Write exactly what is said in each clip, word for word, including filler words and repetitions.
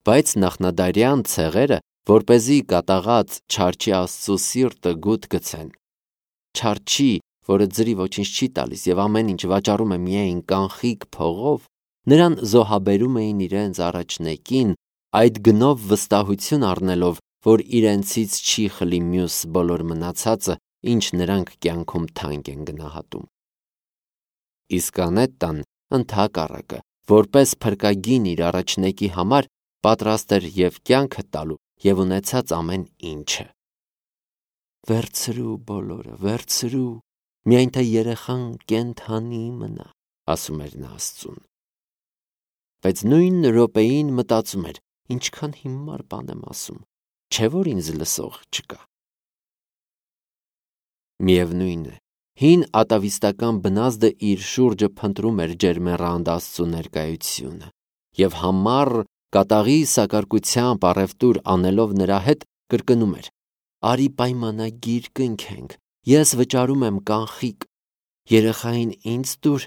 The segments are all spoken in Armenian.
Բայց նախնադարյան ցեղերը, որպեսզի կատաղած չարչի Աստծու սիրտը գութ գցեն, չարչի, որը ձրի ոչինչ չի տալիս եւ ամեն ինչ վաճառում է միայն կանխիկ փողով, նրան զոհաբերում էին իրենց առաջնեկին, այդ գնով վստահություն առնելով, որ իրենցից չի խլի մյուս բոլոր մնացածը, ինչ նրանք կյանքում թանկ են գնահատում։ Իսկ Անետտան ընդհակառակը, որպես փրկագին իր առաջնեկի համար, պատրաստ էր եւ կյանքը տալու եւ ունեցած ամեն ինչը։ Վերցրու բոլորը, վերցրու, միայն թե երեխան կենթանի մնա, ասում էր նա Աստծուն։ Բայց նույն րոպեին մտածում էր, ինչքան հիմար բան եմ ասում, չէ՞ որ ինձ լսող չկա։ Միևնույն է, հին ատավիստական բնազդը իր շուրջը փնտրում էր ջերմեռանդ Աստծու ներկայությունը եւ համառ կատաղի սակարկությամբ առևտուր անելով նրա հետ կրկնում էր. «Արի պայմանագիր կնքենք, ես վճարում եմ կանխիկ, երեխային ինձ տուր,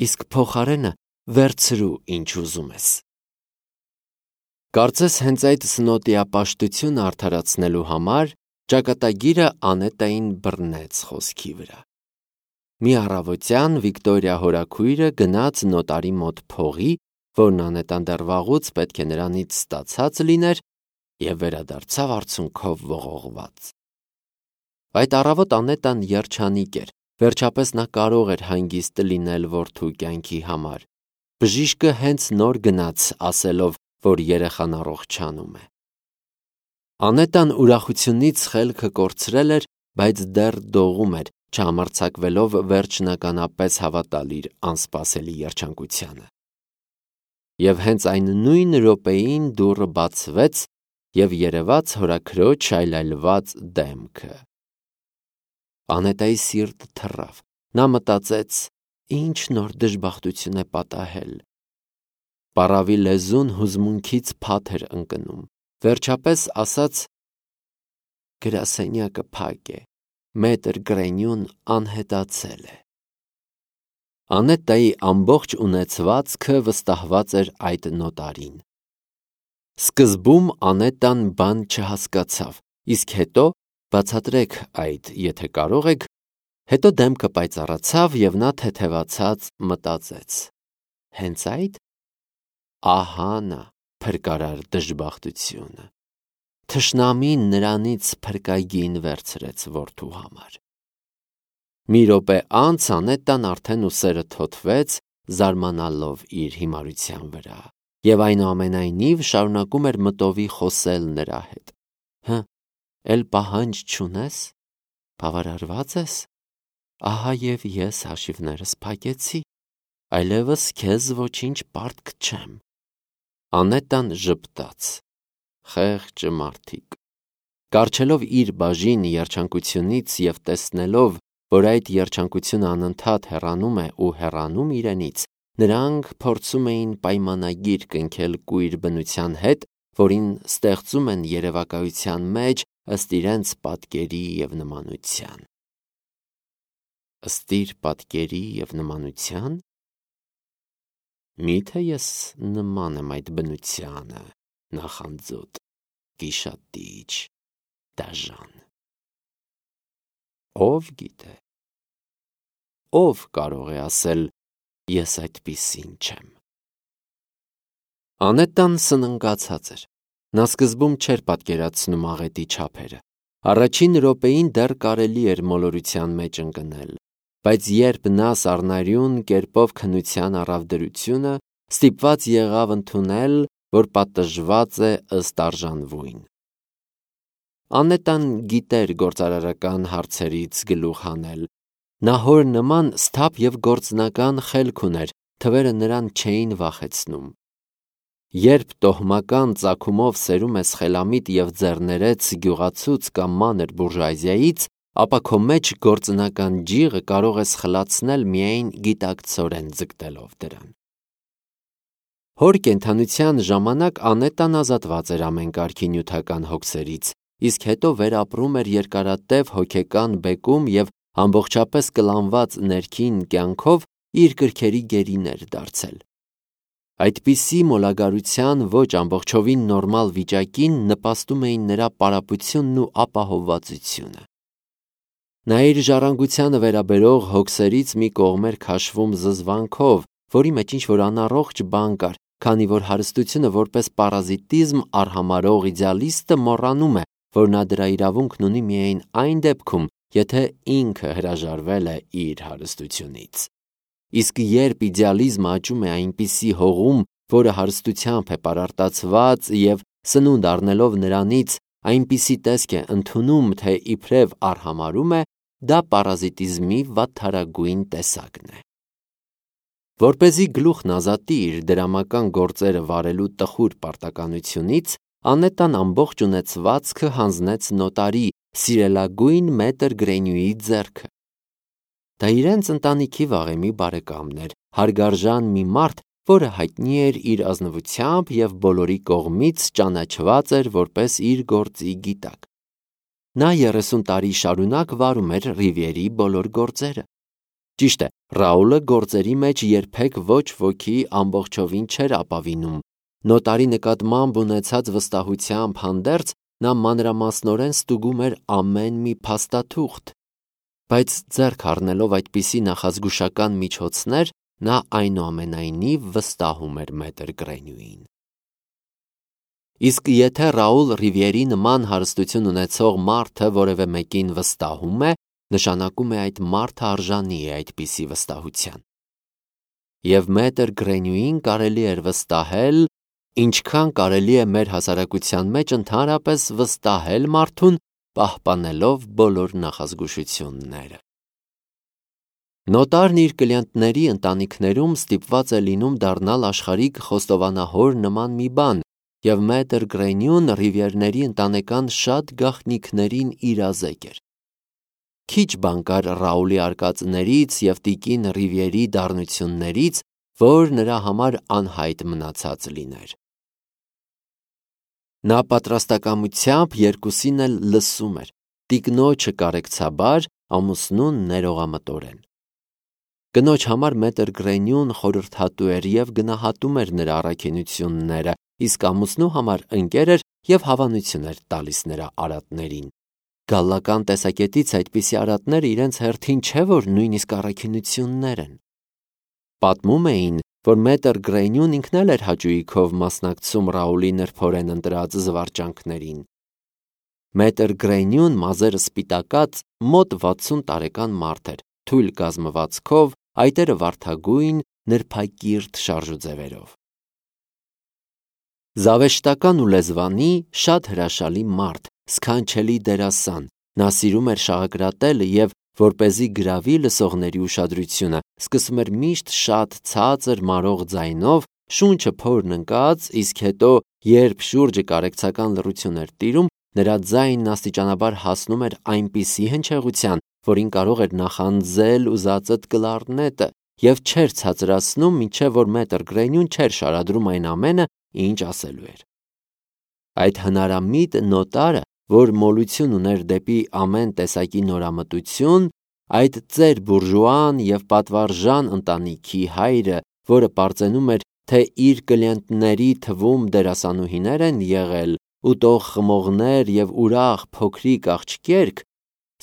իսկ փոխարենը վերցրու ինչ ուզում ես»։ Կարծես հենց այդ սնոտիապաշտությունը արդարացնելու համար ճակատագիրը Անետային բռնեց խոսքի վրա։ Մի առավոտյան Վիկտորիա հորաքույրը գնաց նոտարի մոտ փողի, որն Անետան դեռ վաղուց պետք է նրանից ստացած լիներ, եւ վերադարձավ արցունքով ողողված։ Այդ առավոտ Անետան երջանիկ էր, վերջապես նա կարող էր հանգիստ լինել որդու կյանքի համար։ Բժիշկը հենց նոր գնաց, ասելով, որ երեխան առողջանում է։ Անետան ուրախությունից խելքը կորցրել էր, բայց դեռ դողում էր, չհամարձակվելով վերջնականապես հավատալ իր անսպասելի երջանկությանը։ Եվ հենց այն նույն րոպեին դուռը բացվեց եւ երևաց հորաքրոջ այլայլված դեմքը։ Անետայի սիրտը թռավ, նա մտածեց. ինչ նոր դժբախտություն է պատահել։ Պառավի լեզուն հուզմունքից փաթ էր ընկնում, վերջապես ասաց. գրասենյակը փակ է, մետր Գրենյուն անհետացել է։ Անետայի ամբողջ ունեցվածքը վստահված էր այդ նոտարին։ Սկզբում Անետան բան չհասկացավ, իսկ հետո, բացատրեք այդ, եթե կարող եք, հետո դեմքը պայծառացավ եւ նա թեթևացած մտածեց. հենց այդ, ահա նա փրկարար դժբախտությունը։ Թշնամին նրանից փրկագին վերցրեց որդու համար։ Մի րոպե անց Անետան արդեն ուսերը թոթվեց, զարմանալով իր հիմարության վրա, եւ այնուամենայնիվ շարունակում էր մտովի խոսել նրա հետ։ Հը, էլ պահանջ չունես, բավարարված ես, ահա եւ ես հաշիվներս փակեցի, այլևս քեզ ոչինչ պարտք չեմ։ Անետան ժպտաց. խեղճ մարդիկ։ Կառչելով իր բաժին երջանկությունից եւ տեսնելով, որ այդ երջանկությունը անընդհատ հեռանում է ու հեռանում իրենից, նրանք փորձում էին պայմանագիր կնքել կույր բնության հետ, որին ստեղծում են երևակայության մեջ ըստ իրենց պատկերի եւ նմանության։ Ըստ իր պատկերի եւ նմանության։ Միթե ես նման եմ այդ բնությանը, նախանձոտ, գիշատիչ, դաժան։ Ով գիտե։ Ով կարող է ասել, ես այդպիսին չեմ։ Անետան սննգացած էր։ Նա սկզբում չէր պատկերացնում աղետի չափերը։ Առաջին րոպեին դեռ կարելի էր մոլորության մեջ ընկնել, բայց երբ նա սառնարյուն կերպով քննության առավ դրությունը, ստիպված եղավ ընդունել, որ պատժված է ըստ արժանվույն։ Անետան գիտեր գործարարական հարցերից գլուխ հանել։ Նա հոր նման սթափ եւ գործնական խելք ուներ, թվերը նրան չէին վախեցնում։ Երբ տոհմական ծագումով սերում ես խելամիտ եւ ձեռներեց գյուղացուց կամ մանր բուրժուազիայից, ապա քո մեջ գործնական ջիղը կարող ես խլացնել միայն գիտակցորեն ձգտելով դրան։ Հոր կենդանության ժամանակ Անետան ազատված էր ամեն կարգի նյութական հոգսերից, իսկ հետո վերապրում էր երկարատև հոգեկան բեկում եւ ամբողջապես կլանված ներքին կյանքով իր կրքերի գերին էր դարձել։ Այդպիսի մոլագարության ոչ ամբողջովին նորմալ վիճակին նպաստում էին նրա պարապությունն ու ապահովվածությունը։ Նա իր ժառանգությանը վերաբերող հոգսերից մի կողմ էր քաշվում զզվանքով, որի մեջ ինչ-որ անառողջ բան կար, քանի որ հարստությունը որպես պարազիտիզմ արհամարհող իդեալիստը մոռանում է, որ նա դրա իրավունքն ունի միայն այն դեպքում, եթե ինքը հրաժարվել է իր հարստությունից։ Իսկ երբ իդեալիզմը աճում է այնպիսի հողում, որը հարստությամբ է պարարտացված և սնունդ առնելով նրանից այնպիսի տեսք է ընդունում, թե իբրև արհամարհում է, դա պարազիտիզմի վատթարագույն տեսակն է։ Որպեսզի գլուխն ազատի իր դրամական գործերը վարելու տխուր պարտականությունից, Անետան ամբողջ ունեցվածքը հանձնեց նոտարի, սիրելագույն մետր Գրենյուի ձեռքը։ Դա իրենց ընտանիքի վաղեմի բարեկամն էր, հարգարժան մի մարդ, որը հայտնի էր իր ազնվությամբ և բոլորի կողմից ճանաչված էր որպես իր գործի գիտակ։ Նա երեսուն տարի շարունակ վարում էր Ռիվիերի բոլոր գործերը։ Ճիշտ է, Ռաուլը գործերի մեջ երբեք ոչ ոքի ամբողջովին չէր ապավինում։ Նոտարի նկատմամբ ունեցած վստահությամբ հանդերձ նա մանրամասնորեն ստուգում էր ամեն մի փաստաթուղթ, բայց ձեռք առնելով այդպիսի նախազգուշական միջոցներ, նա այնուամենայնիվ վստահում էր մետր Գրենյուին։ Իսկ եթե Ռաուլ Ռիվիերի նման հարստություն ունեցող մարդը որևէ մեկին վստահում է, նշանակում է այդ մարդը արժանի է այդպիսի վստահության։ Եվ մետր Գրենյուին կարելի էր վստահել, ինչքան կարելի է մեր հասարակության մեջ ընդհանրապես վստահել մարդուն, պահպանելով բոլոր նախազգուշությունները։ Նոտարն իր կլիենտների ընտանիքներում ստիպված է լինում դառնալ աշխարհիկ խոստովանահոր նման մի բան, և մետր Գրենյուն Ռիվիերների ընտանեկան շատ գաղտնիքներին իրազեկ էր։ Քիչ բան կար Ռաուլի արկածներից և տիկին Ռիվիերի դառնություններից, որ նրա համար անհայտ մնացած լիներ։ Նա պատրաստակամությամբ երկուսին էլ լսում էր, տիկնոջը կարեկցաբար, ամուսնուն ներողամտորեն։ Կնոջ համար մետր Գրենյուն խորհրդատու էր և գնահատում էր նրա առաքինությունները, իսկ ամուսնու համար ընկեր էր և հավանություն էր տալիս նրա արատներին։ Գալլական տեսակետից այդպիսի արատները իրենց հերթին չէ որ նույնիսկ առաքինություններ են։ Պատմում էին, որ մետր Գրենյուն ինքն էլ էր հաճույքով մասնակցում Ռաուլի նրբորեն ընտրած զվարճանքներին։ Մետր Գրենյուն մազերը սպիտակած մոտ վաթսուն տարեկան մարդ էր, թույլ կազմվածքով, այտերը վարդագույն, նրբակիրթ շարժուձևերով։ Զավեշտական ու լեզվանի շատ հրաշալի մարդ, սքանչելի դերասան, նա սիրում էր շաղակրատել և, որպեսզի գրավի լսողների ուշադրությունը, սկսում էր միշտ շատ ցածր մարող ձայնով, շունչը փորն ընկած, իսկ հետո, երբ շուրջը կարեկցական լռություն էր տիրում, նրա ձայնն աստիճանաբար հասնում էր այնպիսի հնչեղության, որին կարող էր նախանձել ուզածդ կլարնետը, և չէր ցածրացնում, մինչև որ մետր Գրենյուն չէր շարադրում այն ամենը, ինչ ասելու էր։ Այդ հնարամիտ նոտարը, որ մոլություն ուներ դեպի ամեն տեսակի նորամտություն, այդ ծեր բուրժուան և պատվարժան ընտանիքի հայրը, որը պարծենում էր, թե իր կլիենտների թվում դերասանուհիներ են եղել, ուտող խմողներ և ուրախ փոքրիկ աղջիկերք,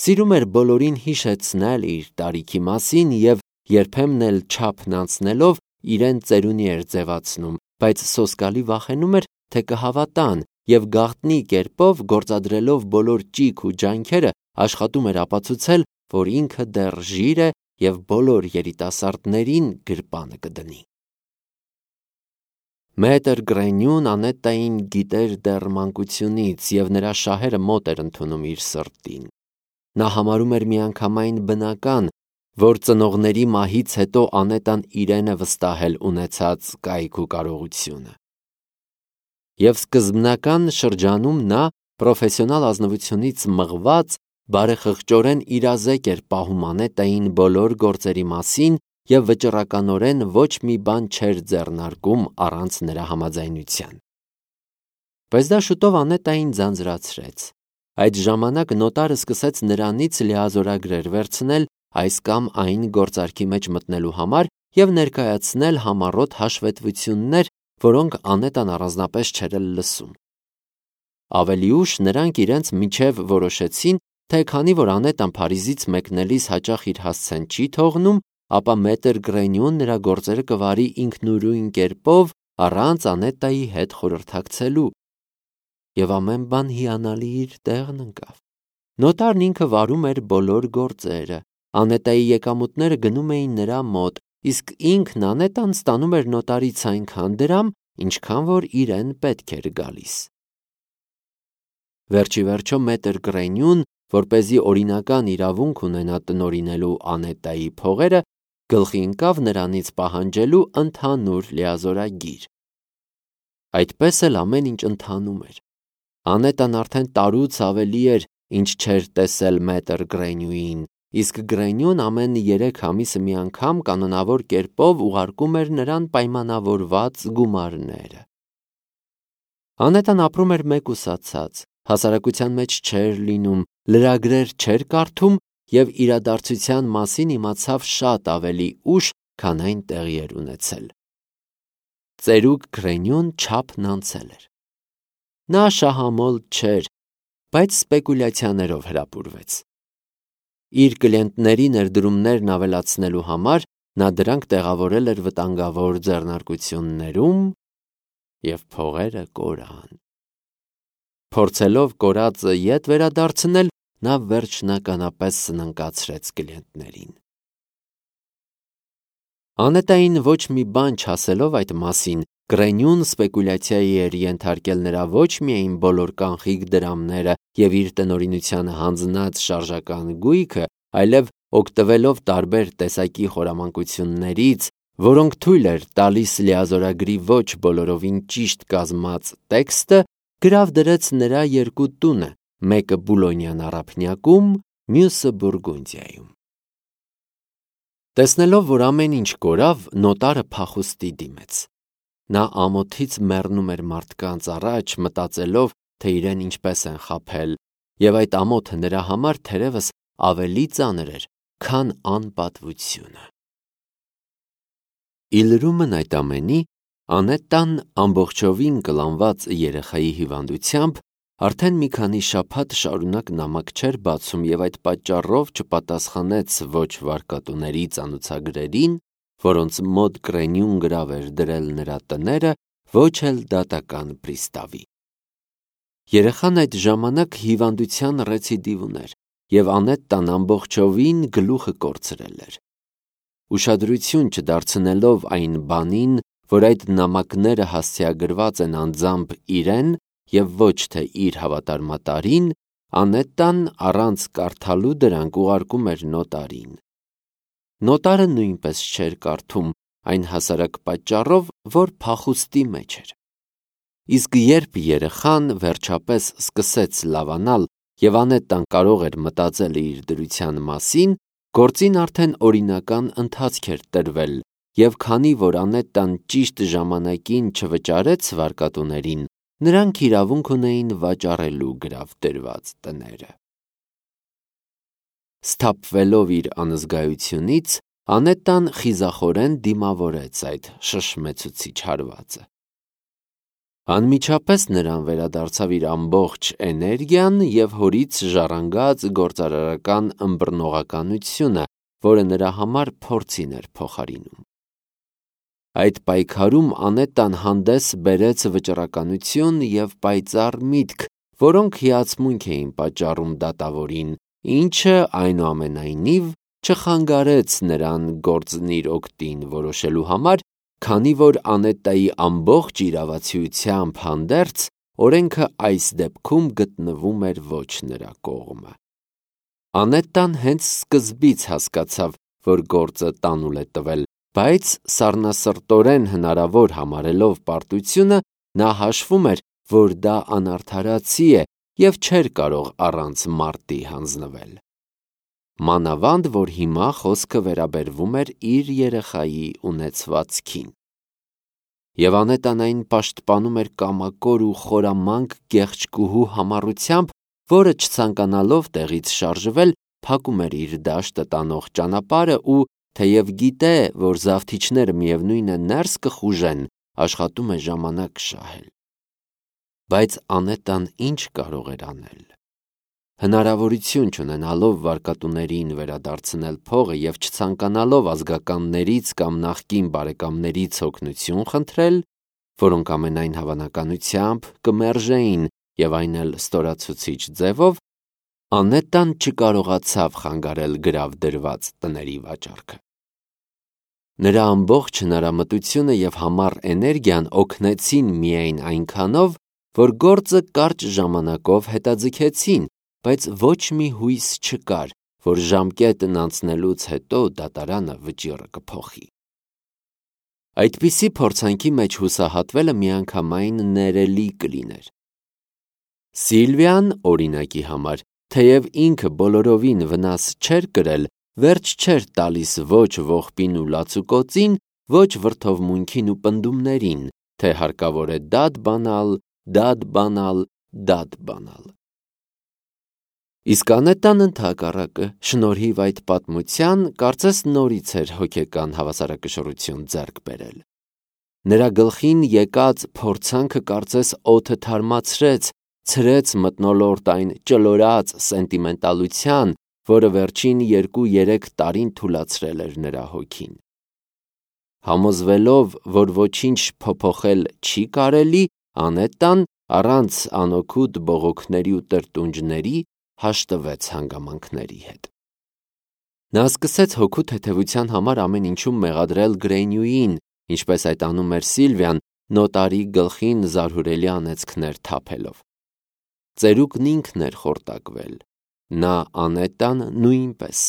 սիրում էր բոլորին հիշեցնել իր տարիքի մասին և երբեմն էլ չափն անցնելով իրեն ծերունի էր ձևացնում, բայց սոսկալի վախենում էր, թե կհավատան և գաղտնի կերպով գործադրելով բոլոր ճիգ ու ջանքերը աշխատում էր ապացուցել, որ ինքը դեռ ժիր է և բոլոր երիտասարդներին գրպանը կդնի։ Մետր Գրենյուն Անետային գիտեր դեռ մանկությունից և նրա շահերը մոտ էր ընդունում իր սրտին։ Նա համարում էր միանգամայն բնական, որ ծնողների մահից հետո Անետան իրեն է վստահել ունեցած կայք ու կարողությունը։ Եվ սկզբնական շրջանում նա պրոֆեսիոնալ ազնվությունից մղված բարեխղճորեն իրազեկ էր պահում Անետային բոլոր գործերի մասին և վճռականորեն ոչ մի բան չէր ձեռնարկում առանց նրա համաձայնության։ Բայց դա շուտով Անետային ձանձրացրեց։ Այդ ժամանակ նոտարը սկսեց նրանից լիազորագրեր վերցնել այս կամ այն գործարքի մեջ մտնելու համար և ներկայացնել համառոտ հաշվետվություններ, որոնք Անետան առանձնապես չէր էլ լսում։ Ավելի ուշ նրանք իրենց միջև որոշեցին, թե քանի որ Անետան Փարիզից մեկնելիս հաճախ իր հասցեն չի թողնում, ապա մետր Գրենյուն նրա գործերը կվարի ինքնուրույն կերպով, առանց Անետայի հետ խորհրդակցելու։ Եվ ամեն բան հիանալի իր տեղն ընկավ։ Նոտարն ինքը վարում էր բոլոր գործերը, Անետայի եկամուտները գնում էին նրա մոտ, իսկ ինքն Անետան ստանում էր նոտարից այնքան դրամ, ինչքան որ իրեն պետք էր գալիս։ Վերջիվերջո մետր Գրենյուն, որպեսզի օրինական իրավունք ունենա տնօրինելու Անետայի փողերը, գլխի ընկավ նրանից պահանջելու ընդհանուր լիազորագիր։ Այդպես էլ ամեն ինչ ընթանում էր։ Անետան արդեն տարուց ավելի էր, ինչ չէր տեսել մետր Գրենյուին, իսկ Գրենյուն ամեն երեք ամիսը մի անգամ կանոնավոր կերպով ուղարկում էր նրան պայմանավորված գումարները։ Անետան ապրում էր մեկուսացած, հասարակության մեջ չէր լինում, լրագրեր չէր կարդում և իրադարձության մասին իմացավ շատ ավելի ուշ, քան այն տեղի էր ունեցել։ Ծերուկ Գրենյուն չափն անցել էր։ Նա շահամոլ չէր, բայց սպեկուլյացիաներով հրապուրվեց։ Իր կլիենտների ներդրումներն ավելացնելու համար նա դրանք տեղավորել էր վտանգավոր ձեռնարկություններում և փողերը կորան։ Փորձելով կորածը ետ վերադարձնել, նա վերջնականապես սնանկացրեց կլիենտներին։ Անետային ոչ մի բան չասելով այդ մասին, Գրենյուն սպեկուլյացիայի էր ենթարկել նրա ոչ միայն բոլոր կանխիկ դրամները և իր տնօրինությանը հանձնած շարժական գույքը, այլև օգտվելով տարբեր տեսակի խորամանկություններից, որոնք թույլ էր տալիս լիազորագրի ոչ բոլորովին ճիշտ կազմած տեքստը, գրավ դրեց նրա երկու տունը, մեկը Բուլոնյան առափնյակում, մյուսը Բուրգունդիայում։ Տեսնելով, որ ամեն ինչ կորավ, նոտարը փախուստի դիմեց։ Նա ամոթից մեռնում էր մարդկանց առաջ, մտածելով, թե իրեն ինչպես են խաբել, և այդ ամոթը նրա համար թերևս ավելի ծանր էր, քան անպատվությունը։ Ի լրումն այդ ամենի, Անետան ամբողջովին կլանված երեխայի հիվանդությամբ արդեն մի քանի շաբաթ շարունակ նամակ չէր բացում և այդ պատճառով չպատասխանեց ոչ վարկատուների ծանուցագրերին, որոնց մոտ Գրենյուն գրավ էր դրել նրա տները, ոչ էլ դատական պրիստավի։ Երեխան այդ ժամանակ հիվանդության ռեցիդիվ ուներ, և Անետան ամբողջովին գլուխը կորցրել էր։ Ուշադրություն չդարձնելով այն բանին, որ այդ նամակները հասցեագրված են անձամբ իրեն և ոչ թե իր հավատարմատարին, Անետան առանց կարդալու դրանք ուղարկում էր նոտարին։ Նոտարը նույնպես չէր կարդում, այն հասարակ պատճառով, որ փախուստի մեջ էր։ Իսկ երբ երեխան վերջապես սկսեց լավանալ և Անետան կարող էր մտածել իր դրության մասին, գործին արդեն օրինական ընթացք էր տրվել, և քանի որ Անետան ճիշտ ժամանակին չվճարեց վարկատուներին, նրանք իրավունք ունեին վաճառելու գրավ դրված տները։ Սթափվելով իր անզգայությունից, Անետան խիզախորեն դիմավորեց այդ շշմեցուցիչ հարվածը։ Անմիջապես նրան վերադարձավ իր ամբողջ էներգիան և հորից ժառանգած գործարարական ըմբռնողականությունը, որը նրա համար փորձին էր փոխարինում։ Այդ պայքարում Անետան հանդես բերեց վճռականություն և պայծառ միտք, որոնք հիացմունք էին պատճառում դատավորին, ինչը, այնուամենայնիվ, չխանգարեց նրան գործն իր օգտին որոշելու համար, քանի որ Անետայի ամբողջ իրավացիությամբ հանդերձ օրենքը այս դեպքում գտնվում էր ոչ նրա կողմը։ Անետան հենց սկզբից հասկացավ, որ գործը տանուլ է տվել, բայց սառնասրտորեն հնարավոր համարելով պարտությունը, նա հաշվում էր, որ դա անարդարացի է և չէր կարող առանց մարտի հանձնվել։ Մանավանդ, որ հիմա խոսքը վերաբերվում էր իր երեխայի ունեցվածքին։ Եվ Անետան այն պաշտպանում էր կամակոր ու խորամանկ գեղեցկուհու համառությամբ, որը չցանկանալով տեղից շարժվել, փակում էր իր դաշտը տանող ճանապարհը ու թեև գիտե, որ զավթիչները միևնույն է ներս կխուժեն, աշխատում է ժամանակ շահել։ Բայց Անետան ինչ կարող էր անել։ Հնարավորություն չունենալով վարկատուներին վերադարձնել փողը և չցանկանալով ազգականներից կամ նախկին բարեկամներից օգնություն խնդրել, որոնք ամենայն հավանականությամբ կմերժեին և այն էլ ստորացուցիչ ձևով, Անետան չկարողացավ խանգարել գրավ դրված տների վաճառքը։ Նրա ամբողջ հնարամտությունը և համառ էներգիան օգնեցին միայն այնքանով, որ գործը կարճ ժամանակով հետաձգեցին, բայց ոչ մի հույս չկար, որ ժամկետն անցնելուց հետո դատարանը վճիռը կփոխի։ Այդպիսի փորձանքի մեջ հուսահատվելը միանգամայն ներելի կլիներ։ Սիլվիան, օրինակի համար, թեև ինքը բոլորովին վնաս չէր կրել, վերջ չէր տալիս ոչ ողբին ու լացուկոծին, ոչ վրդովմունքին ու պնդումներին, թե հարկավոր է դատ բանալ, դատ բանալ, դատ բանալ։ Իսկ Անետան ընդհակառակը, շնորհիվ այդ պատմության, կարծես նորից էր հոգեկան հավասարակշռություն ձեռք բերել։ Նրա գլխին եկած փորձանքը կարծես օդը թարմացրեց, ցրեց մթնոլորտ այն ճլորած սենտիմենտալության, որը վերջին երկու-երեք տարին թուլացրել էր նրա հոգին։ Համոզվելով, որ ոչինչ փոփոխել չի կարելի, Անետան, առանց անօգուտ բողոքների ու տրտունջների, հաշտվեց հանգամանքների հետ։ Նա սկսեց հոգու թեթևության համար ամեն ինչում մեղադրել Գրենյուին, ինչպես այդ անում էր Սիլվիան, նոտարի գլխին զարհուրելի անեծքներ թափելով։ Ծերուկն ինքն էր խորտակվել, նա Անետան նույնպես,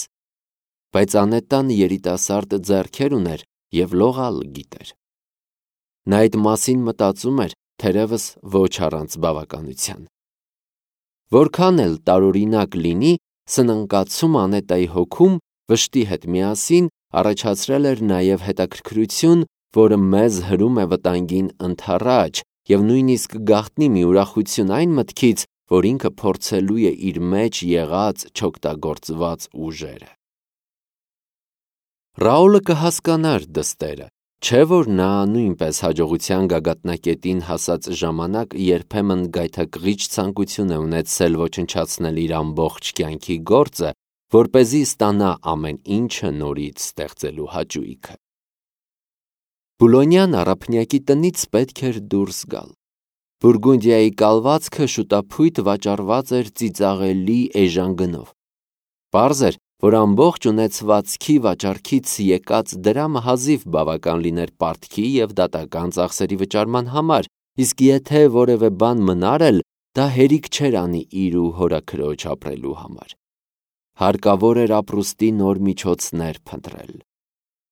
բայց Անետան երիտասարդ ձեռքեր ուներ և լողալ գիտեր։ Նա այդ մասին մտածում էր, թերևս ոչ առանց բավականության։ Որքան էլ տարօրինակ լինի, սնանկացում Անետայի հոգում վշտի հետ միասին առաջացրել էր նաև հետաքրքրություն, որը մեզ հրում է վտանգին ընդառաջ և նույնիսկ գաղտնի մի ուրախություն այն մտքից, որ ինքը փորձելու է իր մեջ եղած չօգտագործված ուժերը։ Ռաուլը կհասկանար դստերը, չէ՞ որ նա նույնպես հաջողության գագաթնակետին հասած ժամանակ երբեմն գայթակղիչ ցանկություն է ունեցել ոչնչացնել իր ամբողջ կյանքի գործը, որպեսզի ստանա ամեն ինչը նորից ստեղծելու հաճույքը։ Բուլոնյան առափնյակի տնից պետք էր դուրս գալ։ Բուրգունդիայի կալվածքը շուտափույթ վաճառված էր ծիծաղելի էժան գնով։ Պարզ էր, որ ամբողջ ունեցվածքի վաճառքից եկած դրամը հազիվ բավական լիներ պարտքի և դատական ծախսերի վճարման համար, իսկ եթե որևէ բան մնար էլ, դա հերիք չէր անի իր ու հորաքրոջ ապրելու համար։ Հարկավոր էր ապրուստի նոր միջոցներ փնտրել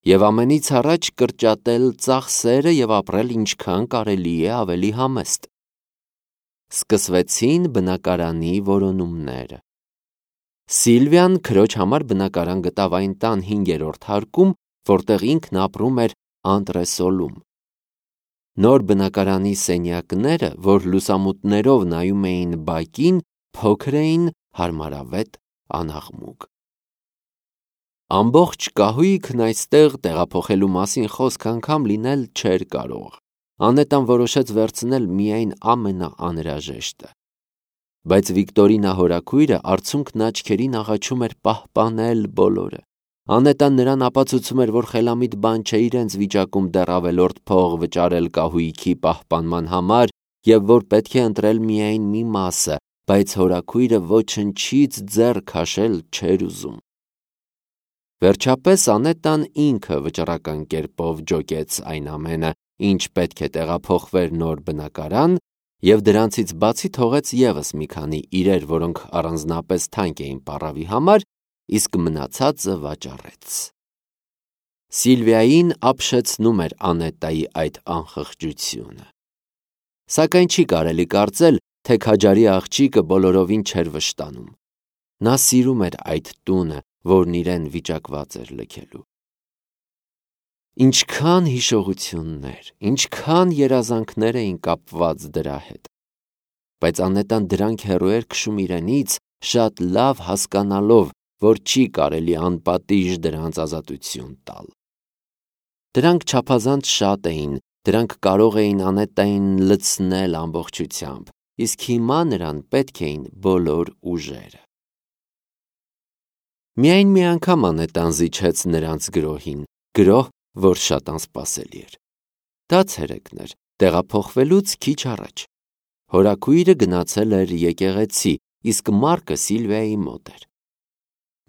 և ամենից առաջ կրճատել ծախսերը և ապրել ինչքան կարելի է ավելի համեստ։ Սկսվեցին բնակարանի որոնումները։ Սիլվիան քրոջ համար բնակարան գտավ այն տան հինգերորդ հարկում, որտեղ ինքն ապրում էր անտրեսոլում։ Նոր բնակարանի սենյակները, որ լուսամուտներով նայում էին բակին, փոքր էին, հարմարավետ, անաղմուկ։ Ամբողջ կահույքն այստեղ տեղափոխելու մասին խոսք անգամ լինել չէր կարող։ Անետան որոշեց վերցնել միայն ամենաանհրաժեշտը։ Բայց Վիկտորինա հորաքույրը արցունքն աչքերին աղաչում էր պահպանել բոլորը։ Անետան նրան ապացուցում էր, որ խելամիտ բան չէ իրենց վիճակում դեռ ավելորդ փող վճարել կահույքի պահպանման համար և որ պետք է ընտրել միայն մի մասը, բայց հորաքույրը ոչնչից ձեռ քաշել չէր ուզում։ Վերջապես Անետան ինքը վճռական կերպով ջոկեց այն ամենը, ինչ պետք է տեղափոխվեր նոր բնակարան, և դրանցից բացի թողեց ևս մի քանի իրեր, որոնք առանձնապես թանկ էին պառավի համար, իսկ մնացածը վաճառեց։ Սիլվիային ապշեցնում էր Անետայի այդ անխղճությունը։ Սակայն չի կարելի կարծել, թե քաջարի աղջիկը բոլորովին չէր վշտանում։ Նա սիրում էր այդ տունը, որն իրեն վիճակված էր լքելու։ Ինչքան հիշողություններ, ինչքան երազանքներ էին կապված դրա հետ։ Բայց Անետան դրանք հեռու էր քշում իրենից, շատ լավ հասկանալով, որ չի կարելի անպատիժ դրանց ազատություն տալ։ Դրանք չափազանց շատ էին, դրանք կարող էին Անետային լցնել ամբողջությամբ, իսկ հիմա նրան պետք էին բոլոր ուժերը։ Միայն մի անգամ Անետան զիջեց նրանց գրոհին, գրոհ, որ շատ անսպասելի էր։ Դա ցերեկն էր, տեղափոխվելուց քիչ առաջ։ Հորաքույրը գնացել էր եկեղեցի, իսկ Մարկը Սիլվիայի մոտ էր։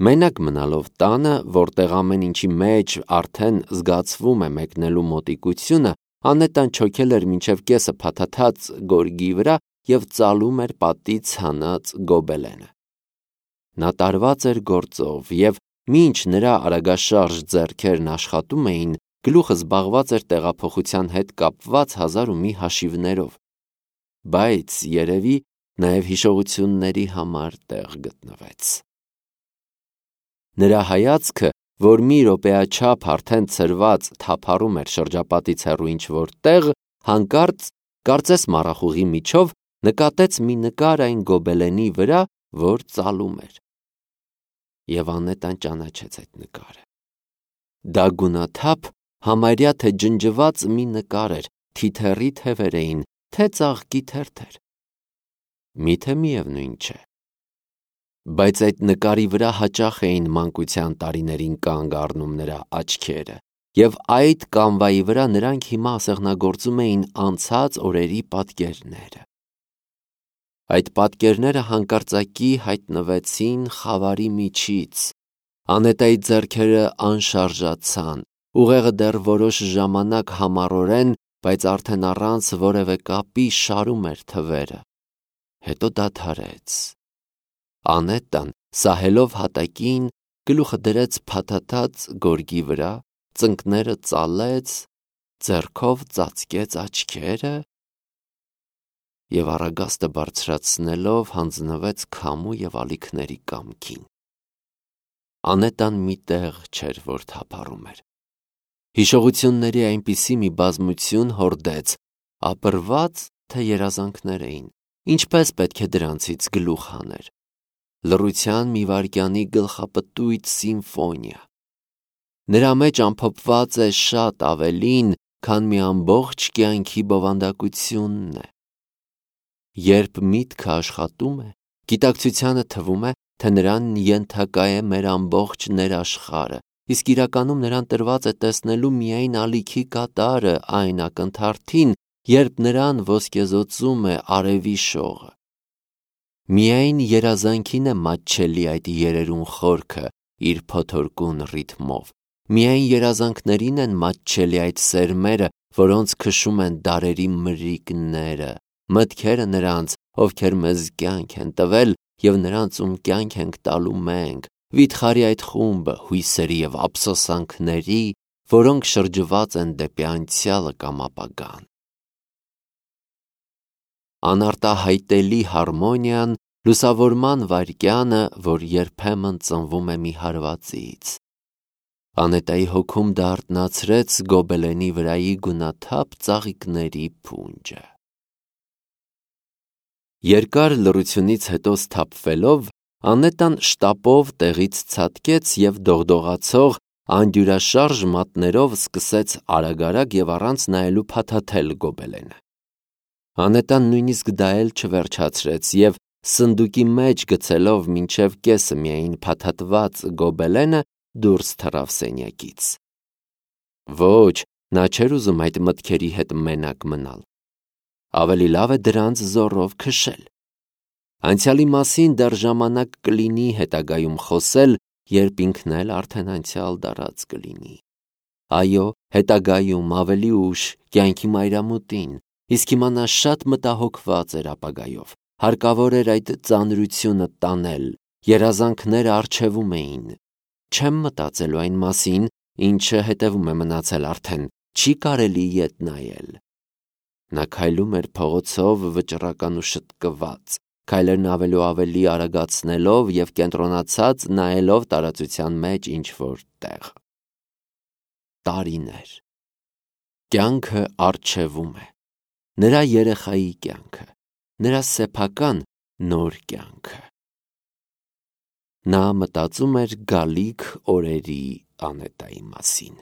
Մենակ մնալով տանը, որտեղ ամեն ինչի մեջ արդեն զգացվում է մեկնելու մոտիկությունը, Անետան չոքել էր մինչև կեսը փաթաթած գորգի վրա և ծալում էր պատից հանած գոբելենը։ Նա տարված էր գործով, և մինչ նրա արագաշարժ ձեռքերն աշխատում էին, գլուխը զբաղված էր տեղափոխության հետ կապված հազար ու մի հաշիվներով, բայց երևի նաև հիշողությունների համար տեղ գտնվեց։ Նրա հայացքը, որ մի րոպեաչափ արդեն ցրված թափառում էր շրջապատից հեռու ինչ-որ տեղ, հանկարծ, կարծես մառախուղի միջով, նկատեց մի նկար այն գոբելենի վրա, որ ծալում էր։ Եվ Անետան ճանաչեց այդ նկարը։ Դա գունաթափ, համարյա թե ջնջված մի նկար էր, թիթեռի թևեր էին, թե ծաղկի թերթեր։ Միթե միևնույն չէ։ Բայց այդ նկարի վրա հաճախ էին մանկության տարիներին կանգ առնում նրա աչքերը, և այդ կանվայի վրա նրանք հիմա ասեղնագործում էին անցած օրերի պատկերները։ Այդ պատկերները հանկարծակի հայտնվեցին խավարի միջից։ Անետայի ձեռքերը անշարժացան, ուղեղը դեռ որոշ ժամանակ համառորեն, բայց արդեն առանց որևէ կապի շարում էր թվերը։ Հետո դադարեց։ Անետան, սահելով հատակին, գլուխը դրեց փաթաթած գորգի վրա, ծնկները ծալեց, ձեռքով ծածկեց աչքերը և առագաստը բարձրացնելով հանձնվեց քամու և ալիքների կամքին։ Անետան մի տեղ չէր, որ թափառում էր։ Հիշողությունների այնպիսի մի բազմություն հորդեց, ապրված, թե երազանքներ էին, ինչպես պետք է դրանցից գլուխ հաներ։ Լռության մի վայրկյանի գլխապտույտ սիմֆոնիա։ Նրա մեջ ամփոփված է շատ ավելին, քան մի ամբողջ կյանքի բովանդակությունն է։ Երբ միտքը աշխատում է, գիտակցությանը թվում է, թե նրան ենթակա է մեր ամբողջ ներաշխարհը, իսկ իրականում նրան տրված է տեսնելու միայն ալիքի կատարը այն ակնթարթին, երբ նրան ոսկեզօծում է արևի շողը։ Միայն երազանքին է մատչելի այդ երերուն խորքը իր փոթորկուն ռիթմով, միայն երազանքներին են մատչելի այդ սերմերը, որոնց քշում են դարերի մրրիկները, մտքերը նրանց, ովքեր մեզ կյանք են տվել և նրանց, ում կյանք ենք տալու մենք, վիթխարի այդ խումբը հույսերի և ափսոսանքների, որոնք շրջված են դեպի անցյալը կամ ապագան։ Անարտահայտելի հարմոնիան, լուսավորման վայրկյանը, որ երբեմն ծնվում է մի հարվածից։ Անետայի հոգում դա արթնացրեց գոբելենի վրայի գունաթափ ծաղիկների փունջը։ Երկար լռությունից հետո սթափվելով, Անետան շտապով տեղից ցատկեց և դողդողացող, անդյուրաշարժ մատներով սկսեց արագ-արագ և առանց նայելու փաթաթել գոբելենը։ Անետան նույնիսկ դա էլ չվերջացրեց և, սնդուկի մեջ գցելով մինչև կեսը միայն փաթաթված գոբելենը, դուրս թռավ սենյակից։ Ոչ, նա չէր ուզում այդ մտքերի հետ մենակ մնալ։ Ավելի լավ է դրանց զոռով քշել։ Անցյալի մասին դեռ ժամանակ կլինի հետագայում խոսել, երբ ինքն էլ արդեն անցյալ դարած կլինի։ Այո, հետագայում, ավելի ուշ, կյանքի մայրամուտին, իսկ հիմա նա շատ մտահոգված էր ապագայով, հարկավոր էր այդ ծանրությունը տանել, երազանքները առջևում էին։ Չեմ մտածելու այն մասին, ինչը հետևում է մնացել արդեն, չի կարելի ետ նայել։ Նա քայլում էր փողոցով վճռական ու շտկված, քայլերն ավելի ու ավելի արագացնելով և կենտրոնացած նայելով տարածության մեջ ինչ-որ տեղ։ Տարիներ։ Կյանքը առջևում է։ Նրա երեխայի կյանքը, նրա սեփական նոր կյանքը։ Նա մտածում էր գալիք օրերի Անետայի մասին։